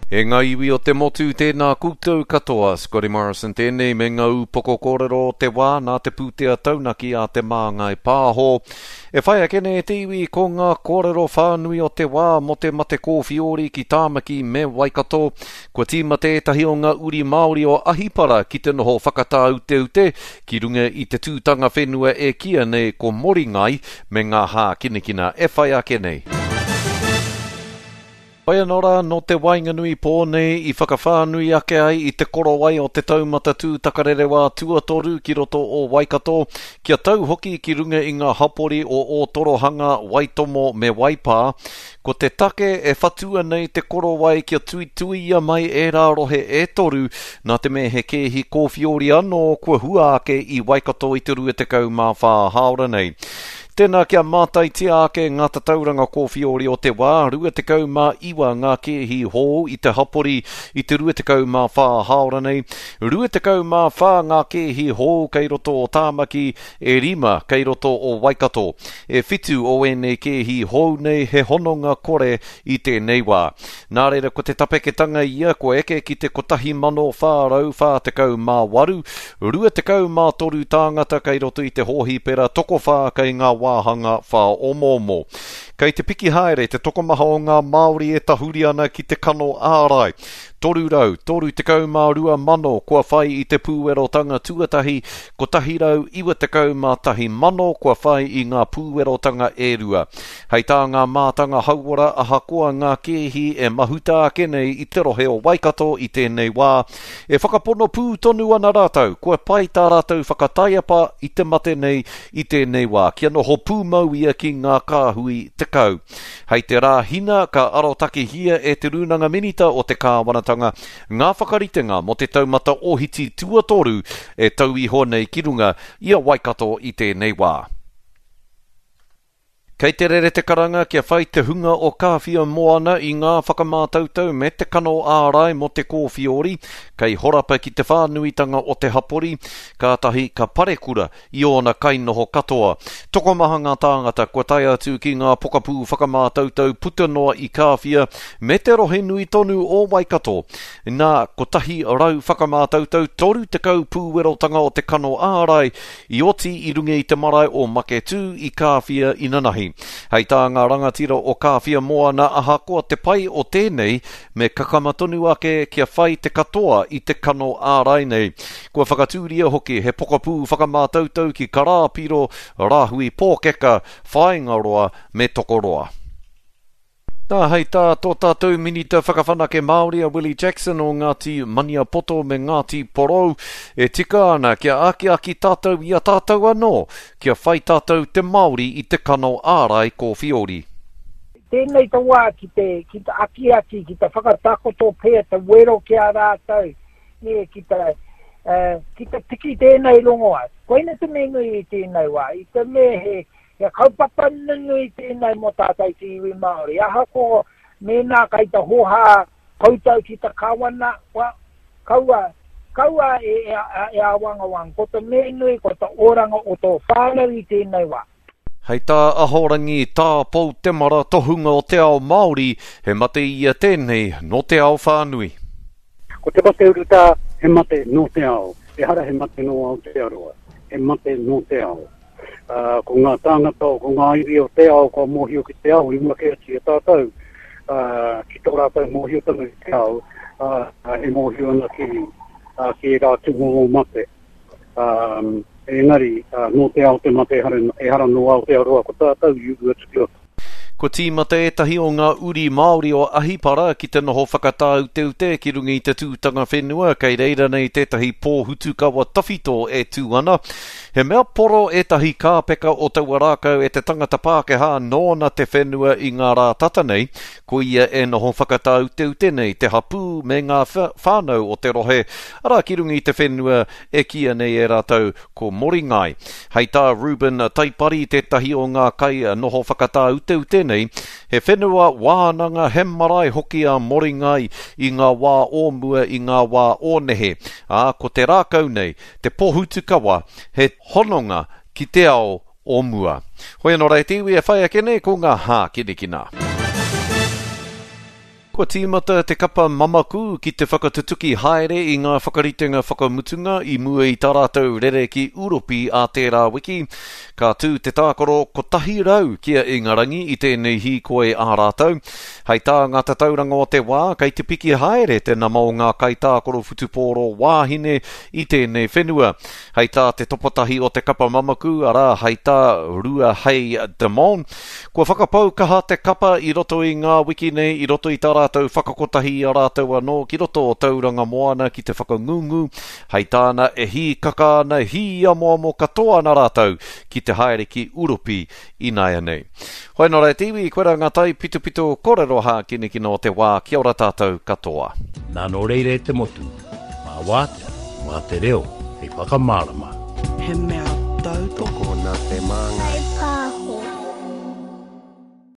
E ngā iwi o te motu, tēnā koutou katoa. Scotty Morrison tēnei me ngā ūpoko kōrero o te wā nā te pūtea taunaki a Te Māngai Pāho. E whai ake nei e te iwi ko ngā kōrero whānui o te wā mō te mate kōwhiori ki Tāmaki me Waikato. Kua tīmata ētahi o ngā uri Māori o Ahipara ki te noho whakatāuteute ki runga i te tūtanga whenua e kīia nei ko Moringai me ngā hākinakina e whai ake nei. Whai anō rā, nō te waenganui pō nei i whakawhānui ake ai i te korowai o te taumata tūtakarerewā tuatoru ki roto o Waikato, kia tau hoki ki runga i ngā hapori o Ōtorohanga, Waitomo me Waipā. Ko te take e whatua nei te korowai kia tuituia mai ērā rohe e toru, nā te mea he kēhi kōwhiori anō kua hua ake i Waikato i te 24 hāora nei. Tēnā kia mātaitia ake ngā tatauranga kōwhiori o te wā, 29 ngā kēhi hou i te hapori i te 24 hāora nei, 24 ngā kēhi hou kei roto o Tāmaki, e rima kei roto o Waikato. E whitu o ēnei kēhi hou nei he hononga kore i tēnei wā. Nā reira ko te tapeketanga ia kua eke ki te 1448, 23 tāngata kei roto i te hōhipera, tokowhā kei ngā wāhanga whāomoomo. Kei te piki haere te tokomaha o ngā Māori e tahuri ana ki te kano ārai. 332 mano kua whai i te pūwerotanga tuatahi, 191 mano kua whai i ngā pūwerotanga e rua. Hei tā ngā mātanga hauora ahakoa ngā kēhi e mahuta ake nei i te rohe o Waikato i tēnei wā, e whakapono pū tonu ana rātou kua pai tā rātou whakataiapa i te mate nei i tēnei wā kia noho pūmau ia ki ngā kāhui 10. Hei te Rāhina ka arotakehia e Te Rūnanga Minita o te Kāwanatanga ngā whakaritenga mō te taumata ohiti tuatoru e tau iho nei ki runga i a Waikato i tēnei wā. Kei te rere te karanga kia whai te hunga o Kāwhia Moana i ngā whakamātautau me te kano ārai mō te kōwhiori, kei horapa ki te whānuitanga o te hapori, kātahi ka parekura i ōna kainoho katoa. Tokomaha ngā tāngata kua tae atu ki ngā pokapū whakamātautau puta noa i Kāwhia me te rohe nui tonu o Waikato. Nā, 100 whakamātautau, 30 pūwerotanga o te kano ārai I oti i runga i te marae o Maketū i Kāwhia inanahi. Hei tā ngā rangatira o Kāwhia Moana ahakoa te pai o tēnei, me kakama tonu ake kia whai te katoa i te kano ārai nei. Kua whakatūria hoki he pokapū whakamātautau ki Karāpiro, Rāhui Pōkeka, Whāingaroa me Tokoroa. Nā, hei tā tō tātou Minita Whakawhanake Māori a Willie Jackson o Ngāti Maniapoto me Ngāti Porou, e tika ana kia akiaki tātou i a tātou anō, kia whai tātou te Māori i te kano ārai kōwhiori. Tēnei te wā ki te, ki te akiaki, ki te whakatakoto pea te wero ki a rātou, nē, ki te, ki te tiki tēnei rongoā. Koina te mea nui i tēnei wā, i te mea he, He kaupapa nunui tēnei mō tātou te iwi Māori. Ahakoa mēnā kai te hōhā koutou ki te Kawana, well, kaua, kaua e, e, e āwangawanga. Ko te mea nui, ko te oranga o tō whānau i tēnei wā. Hei tā Ahorangi Tā Pou Temara tohunga o te ao Māori, he mate ia tēnei nō te ao whānui. Ko te mate urutā, he mate nō te ao. Ehara he mate nō Aotearoa, he mate nō te ao. Ā, ko ngā tāngata, ko ngā iwi o te ao kua mōhio ki te ao i mua kē atu i a tātou, ā, ki tō rātou mōhiotanga ki te ao, ā, e mōhio ana ki, ā, ki ērā tūmomo mate. Ā, engari, ā, nō te ao te mate, ehara, ehara nō Aotearoa, ko tātou i uru atu ki roto. Kua tīmata ētahi o ngā uri Māori o Ahipara ki te noho whakatāuteute ki runga i te tūtanga whenua kei reira nei tētahi pōhutukawa tawhito e tū ana. He mea poro ētahi kāpeka o taua rākau e te tangata Pākehā nōna te whenua i ngā rā tata nei, ko ia e noho whakatāuteute nei te hapū me ngā whānau o te rohe, arā ki runga i te whenua e kīia nei e rātou Ko Moringai. Hei tā Reuben Taipari tētahi o ngā kai noho whakatāuteute nei, he whenua wānanga, he marae hoki a Moringai i ngā wā o mua, i ngā wā o nehe. Ā, ko te rākau nei, te pohutukawa, he hononga ki te ao o mua. Hoi anō rā e te iwi e whai ake nei ko ngā hākinakina. Kua tīmata te kapa Mamaku ki te whakatutuki haere i ngā whakaritenga whakamutunga i mua i tā rātou rere ki Uropi ā tērā wiki. Ka tū te tākaro 100 ki a Ingarangi i tēnei hīkoi ā rātou. Hei tā ngā tatauranga o te wā, kei te piki haere te nama o ngā kaitākaro whutupōro wāhine i tēnei whenua. Hei tā te topotahi o te kapa mamaku, arā, hei tā Ruahei Demant, kua whakapau kaha te kapa i roto i ngā wiki nei i roto i tā rātou whakakotahi i a rātou anō ki roto o Tauranga Moana ki te whakangungu. Hei tāna, e hīkaka ana, hīamoamo katoa ana rātou ki te haere ki Uropi ināianei. Hoi nō rā e te iwi, koirā ngā taipitopito kōrero hākinakina o te wā, kia ora tātou katoa. Nā nō reira e te motu, mā wātea, mā te reo hei whakamārama. He mea tautoko. Tokona te māngai.